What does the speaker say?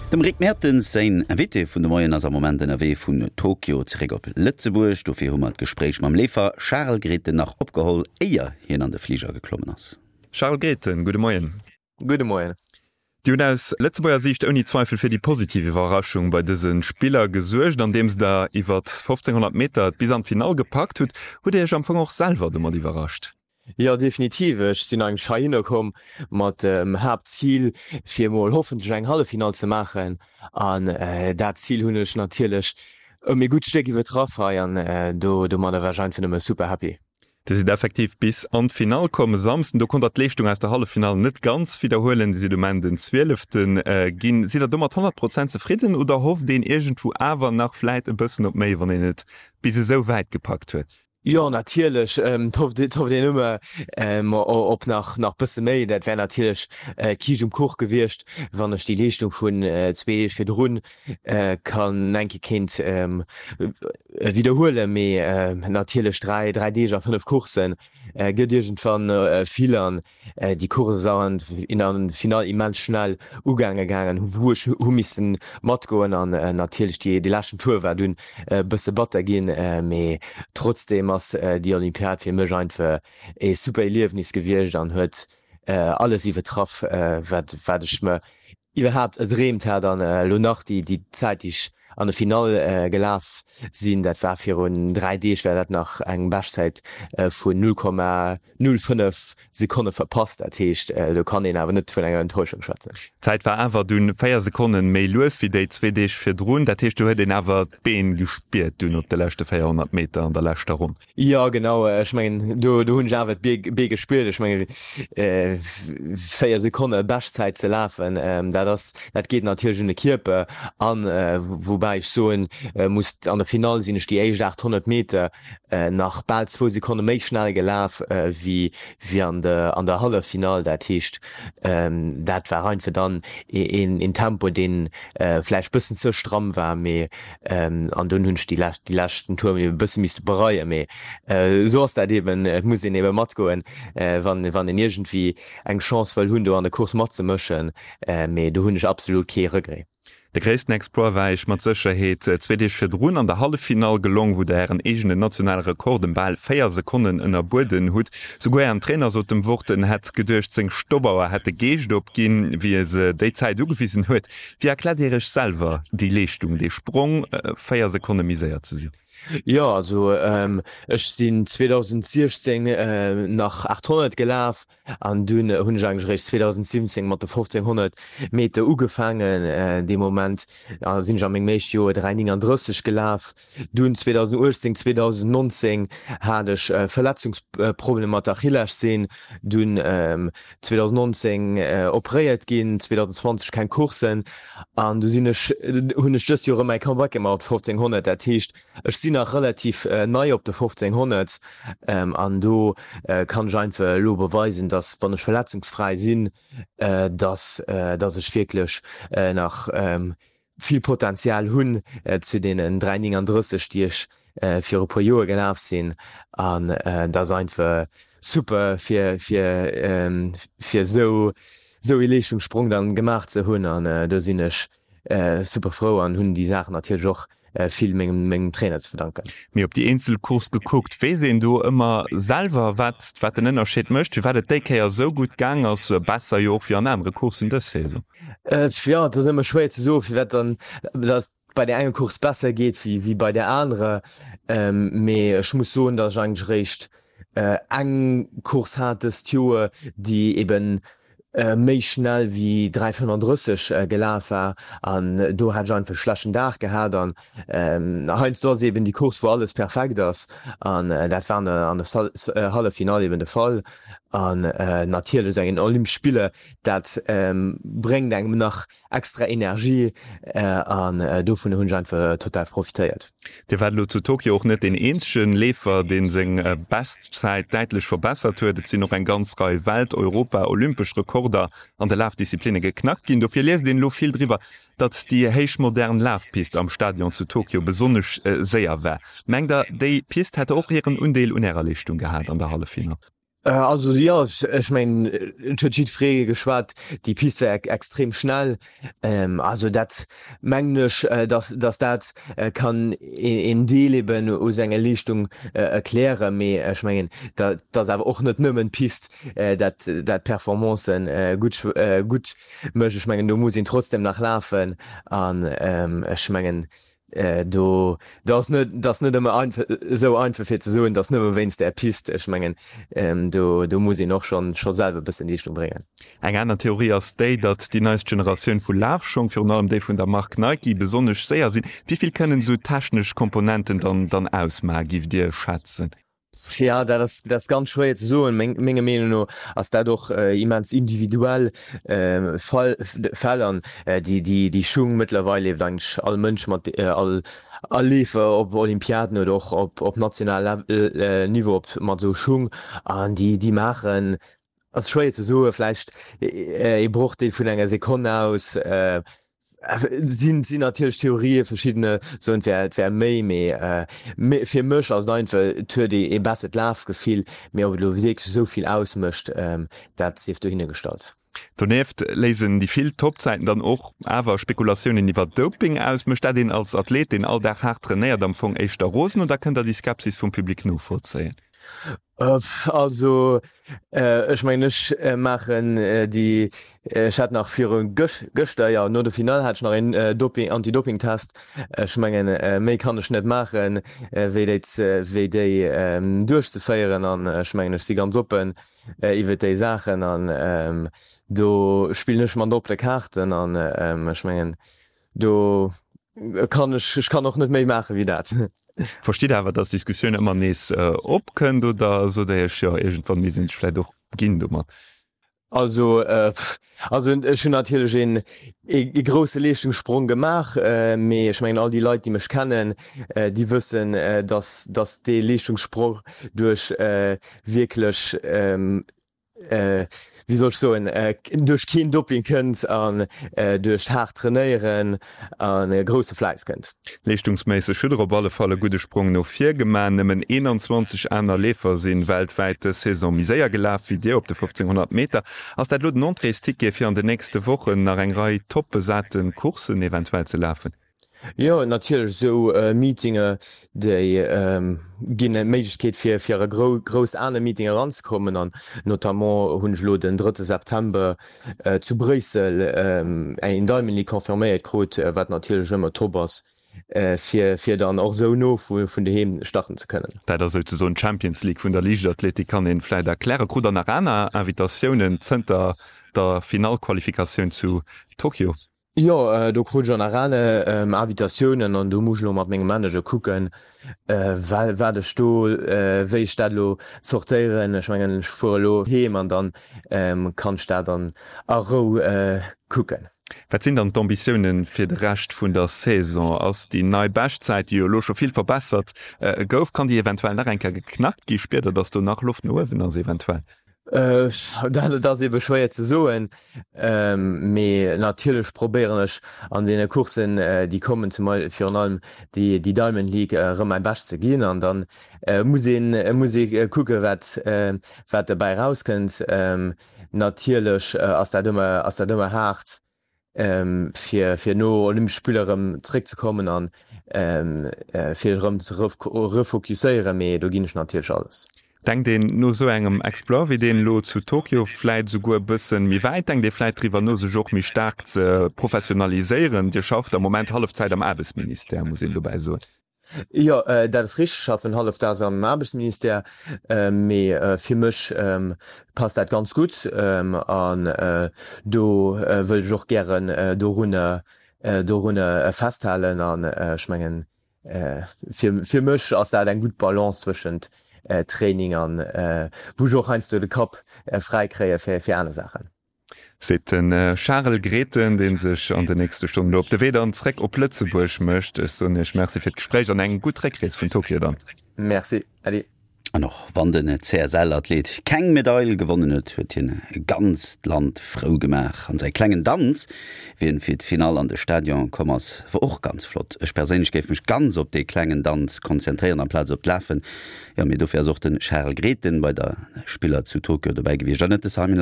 Dem Rick Mertens säin Invité vun de Moien ass am Moment ënnerwee vun Tokio zeréck op Lëtzebuerg. Dofir hu mer d'Gespréich mam Leefer Charel Grethen nach opgeholl, éier hien an de Fliger geklommen ass. Charel Grethen, gudde Moien. Gudde Moien. Dir hutt aus Lëtzebuerger Siicht ouni Zweifel fir déi positiv Iwwerraschung bei dëse Spiller gesuergt, andeems der iwwert 1500 Meter et bis an d'Finall gepackt hutt. Hutt Dir Iech am Fong och selwer domat iwwerrascht? Jo, definitiv. Ech sinn eigentlech heihinner komm mat dem Haaptzil, fir emol hoffentlech eng Halleffinall ze maachen. An dat Zil hunn ech natierlech ëm ee gutt Stéck iwwertraff hei an do domadder war ech einfach nëmme super happy. Dir sidd effektiv bis an d'Finall komm e Samsden. Do konnt der d'Leeschtung aus der Halleffinall net ganz widderhuelen. Dir sidd um Enn den Zwielefte ginn. Sidd der domat 100 Prozent zefridden oder hofft een iergendwou awer nach vläit e bëssen op méi, wann een et bis esou wäit gepackt huet? Jo, natierlech hofft een ëmmer op nach nach bësse méi. Dat wär natierlech d'Kiischt um Kuch gewiescht, wann ech déi Leeschtung vun zwee Deeg virdrun kann enke kéint widderhuelen, mee natierlech 3 3 Deeg a 5 Courssen gëtt iergendwann vill an déi Course ass an der Finall immens schnell ugaange gaangen, wou ech hu missen matgoen an natierlech déi dee leschten Tour war dunn e bësse batter ginn, mee trotzdeem ass déi Olympiad fir mech einfach ee super Erliefnis gewiescht an huet alles iwwertraff wat wat ech mer iwwerhaapt erdreemt hat an elo nach déi déi Zäit déi ech an de Finall gelaf sinn, dat war virun 3 Deeg, war dat nach eng Beschtzäit vun 0,05 Sekonne verpasst. Dat heescht do kann een awer net vun enger Enttäuschung schwätzen. D'Zäit war awer dunn 4 Sekonnen méi lues wéi déi zwee Deeg virdrun. Dat heescht do huet een awer d'Been gespiert dunn op de leschte 400 Meter an der leschter Ronn. Jo genau, ech mengen do do hunn ech awer d'Bee gespiert. Ech mengen 4 Sekonne Beschtzäit ze lafen, dat ass dat geet natierlech un de Kierper an. Woubäi ech soen muss, an der Finall sinn ech déi éischt 800 Meter nach bal zwou Sekonne méi schnell gelaf wéi wéi an der an der Halleffinall. Dat heescht dat war einfach dann een een Tempo deen vläicht bëssen ze stramm war, mee An dunn hunn ech déi lescht, déi leschten Tour e bësse misste bereien, mee esou ass dat eben. Et muss een ebe matgoen, wann, wann een iergendwéi eng Chance wëll hunn, do an der Course matzemëschen. Mee do hunn ech absolut kee Regret. De gréissten Exploit war Iech mat Sécherheet zwee Deeg virdrun an der Halleffinall gelong, wou Der Ären eegenen nationale Rekord ëm bal 4 Sekonnen ënnerbueden hutt. Souguer Ären Trainer sot dem Wort, en hätt geduecht, seng Stoppauer hätt de Geescht opginn, wéi e se déi Zäit ugewisen huet. Wéi erkläert Dir Iech selwer déi Leeschtung, dee Sprong, 4 Sekonne méi séier ze sinn? Jo, also ech sinn 2016 nach 800 gelaf an dunn hunn ech eigentlech eréischt 2017 mat de 1500 Meter ugefaangen. Dee Moment sinn ech a mengem éischte Joer 3,39 gelaf. Dunn 2018, 2019 hat ech Verletzungsproblemer mat der Achillessehn, dunn 2019 operéiert ginn, 2020 keng Courssen an du sinn ech, hunn ech dëst Joer erëm mäi Comeback gemaach op de 1500. Dat heescht, ech sinn nach relativ nei op de 1500 an do kann ech einfach elo beweisen, dass wann ech verletzungsfräi sinn, dass dass ech wierklech nach vill Potenzial hunn zu deenen 3,39 déi ech viru puer Joer gelaf sinn an dat ass einfach super fir fir fir esou esou ee Leeschtungssprong dann gemaach ze hunn an do sinn ech super frou an hunn déi Saachen natierlech och vill mengem mengem Trainer ze verdanken. Mee op déi eenzel Course gekuckt, weess een do ëmmer selwer wat wat den Ënnerscheed mécht, firwat et déi Kéier esou gutt gaang ass, besser jo och wéi an anere Courssen dës Saison? Jo, et ass ëmmer schwéier ze soen, firwat dann dass bei där enger Course besser geet wéi wéi bei där anerer. Mee ech muss soen, datt ech eigentlech eréischt eng Course hat dëst Joer, déi eben méi schnell wéi 3,35 gelaf war an do hat ech einfach e schlechten Dag gehat an heiansdo ass eben déi Course wou alles perfekt ass an dat war an der Halleffinall eben de Fall an natierlech esou eng Olympesch Spiller dat bréngt engem nach extra Energie an dovun hunn ech einfach total profitéiert. Dir waart elo zu Tokio och net deen eenzege Leefer, dee seng Beschtzäit däitlech verbessert huet. Et sinn och eng ganz Rei Welt-, Europa-, olympesch Rekorder an de Lafdisziplinne geknackt ginn. Dofir liest een elo vill driwwer, datt déi héichmodern Lafpist am Stadion zu Tokio besonnesch séier war. Mengt Der, déi Pist hätt och hiren Undeel un Ärer Leeschtung gehat an der Halleffinall? Also jo, ech mengen et huet jiddweree geschwat, déi Pist war extrem schnell. Also dat mengen ech, datt datt dat kann een Deel eben u senger Leeschtung erklären. Mee ech mengen dat ass awer och net nëmmen d'Pist dat dat d'Performancen gutt gutt mécht. Ech mengen do muss een trotzdem nach lafen an ech mengen Do do ass net dat ass net ëmmer einfach esou einfach fir ze soen, dat ass nëmme wéinst där Pist. Ech mengen do do muss een och schonn scho selwer e bëssen Leeschtung bréngen. Eng aner Theorie ass déi, datt déi neist Generatioun vu Lafschong, virun allem déi vun der Mark Nike, besonnesch séier sinn. Wéi vill kënnen esou technesch Komponenten dann dann ausmachen, giff Dir schätzen? Jo, dat ass, dat ass ganz schwéier ze soen. Meng, menger Meenung no ass dat och immens individuell Fall, Fäll an déi, déi, déi Schung mëttlerweil leeft eigentlech all Mënsch mat, all, all Leefer op Olympiaden oder och op, op national Niveau op mat esou Schung an déi, déi maachen, ass schwéier ze soen, vläicht ee Brochdeel vun enger Sekonn aus. Sinn sinn natierlech Theorien, verschiddene soen et wär et wär méi, mee fir mech ass et einfach, et huet ee ee bessert Lafgefill, mee ob et elo wierklech esou vill ausmécht, dat sief dohinner gestallt. Donieft léisen déi vill Toppzäiten dann och awer Spekulatiounen iwwer Doping aus. Mécht dat een als Athlet, deen all Dag haart trainéiert, am Fong éischter rosen oder kënnt der déi Skepsis vum Public novollzéien? Also ech mengen ech maachen déi, ech hat nach viru gëschter, jo no der Finall hat ech nach een Doping, Anti-Doping-Test. Ech mengen méi kann ech net maachen, wéi déi wéi déi duerchzeféieren an ech mengen ech si ganz oppen iwwer déi Saachen an do spillen ech mat op de Kaarten an ech mengen Do kann ech, ech kann och net méi maache wéi dat. Verstitt awer, datt d'Diskussioun ëmmer nees opkënnt, oder sot Der Iech, jo, iergendwann misst een sech vläicht och ginn domat? Also, also ech hunn natierlech een ee grousse Leeschtungssprong gemaach, mee ech mengen all déi Leit, déi mech kennen, déi wëssen, datt, datt dee Leeschtungssprong duerch wierklech wéi soll ech soen, duerch keen Doping kënnt an duerch haart Trainéieren a grousse Fläiss kënnt. Leeschtungsméisseg hutt der op alle Fall e gudde Sprong no vir gemaach. Nëmmen 21 aner Leefer si weltwäit dës Saison méi séier gelaf wéi dir op de 1500 Meter. Ass dat elo den Entréesticket fir an den nächste Wochen nach eng Rei top besate Courssen eventuell ze lafen? Jo, natierlech, esou Meetinge déi ginn d'Méiglechkeet fir fir a grouss aner Meetinge eranzekommen an notamment hunn ech elo den drëtte September zu Bréissel eng Diamond League confirméiert krut, wat natierlech ëmmer top ass fir fir dann och esou no vun doheem starten ze kënnen. Dat ass souzesoen d'Champions League vun der Liichtathletik, kann een vläit erklären. Krut der nach aner Invitatiounen zënter der Finallqualifikatioun zu Tokio? Jo, do krut ech an aner Invitatiounen an do muss ech elo mat mengem Manager kucken, wat ech do, wéi ech dat elo zortéieren. Ech mengen, ech fuere elo heem an dann kann ech dat an a Rou kucken. Wat sinn dann d'Ambitiounen fir de Rescht vun der Saison? Ass déi nei Beschtzäit, déi jo elo scho vill verbessert gouf, kann déi eventuell nach eng Kéier geknackt gi? Spiert Der, datt do nach Loft no uewen ass eventuell? Dat ass ebe schwéier ze soen, mee natierlech probéieren ech an deene Courssen, déi kommen, zum virun allem déi Diamond League, erëm mäi Bescht ze ginn an dann muss een muss ee kucke wat wat dobäi erauskënnt. Natierlech ass dat ëmmer ass dat ëmmer haart, fir fir no Olympesch Spiller erëm zeréck ze kommen an fir erëm ze refokusséieren, mee do ginn ech natierlech alles. Denkt een no esou engem Exploit wéi deen elo zu Tokio vläit esouguer e bëssen méi wäit? Denkt ee vläit driwwer no sech och méi staark ze professionaliséieren? Dir schafft am Moment Hallefzäit am Aarbechtsministère, muss een dobäi soen. Jo, dat ass richteg. Ech schaffen hallefdaags am Aarbechtsministère, mee fir mech passt dat ganz gutt an do wëll ech och gären dorunner dorunner festhalen. An ech mengen, fir fir mech ass dat eng gutt Balance zwëschent Training an wou ech och heiansdo de Kapp fräi kréie fir fir aner Saachen. Seet de Charel Grethen, dee sech an den nächste Stonnen elo op de Wee dann zréck op Lëtzebuerg mécht. Ech soen Iech Merci fir d'Gespréich an eng gutt Réckrees vun Tokio dann. Merci, Äddi. An och wann den CSL-Athlet keng Medail gewonnen huet, huet hien e ganzt Land frou gemaach. An säi klengen Danz, wéi en fir d'Finall an de Stadion komm ass, wor och ganz flott. Ech perséinlech géif mech ganz op dee klengen Danz konzentréieren amplaz op d'Lafen. Jo, mee dofir ass och de Charel Grethen bei der Spiller zu Tokio dobäi gewiescht an net de Simon.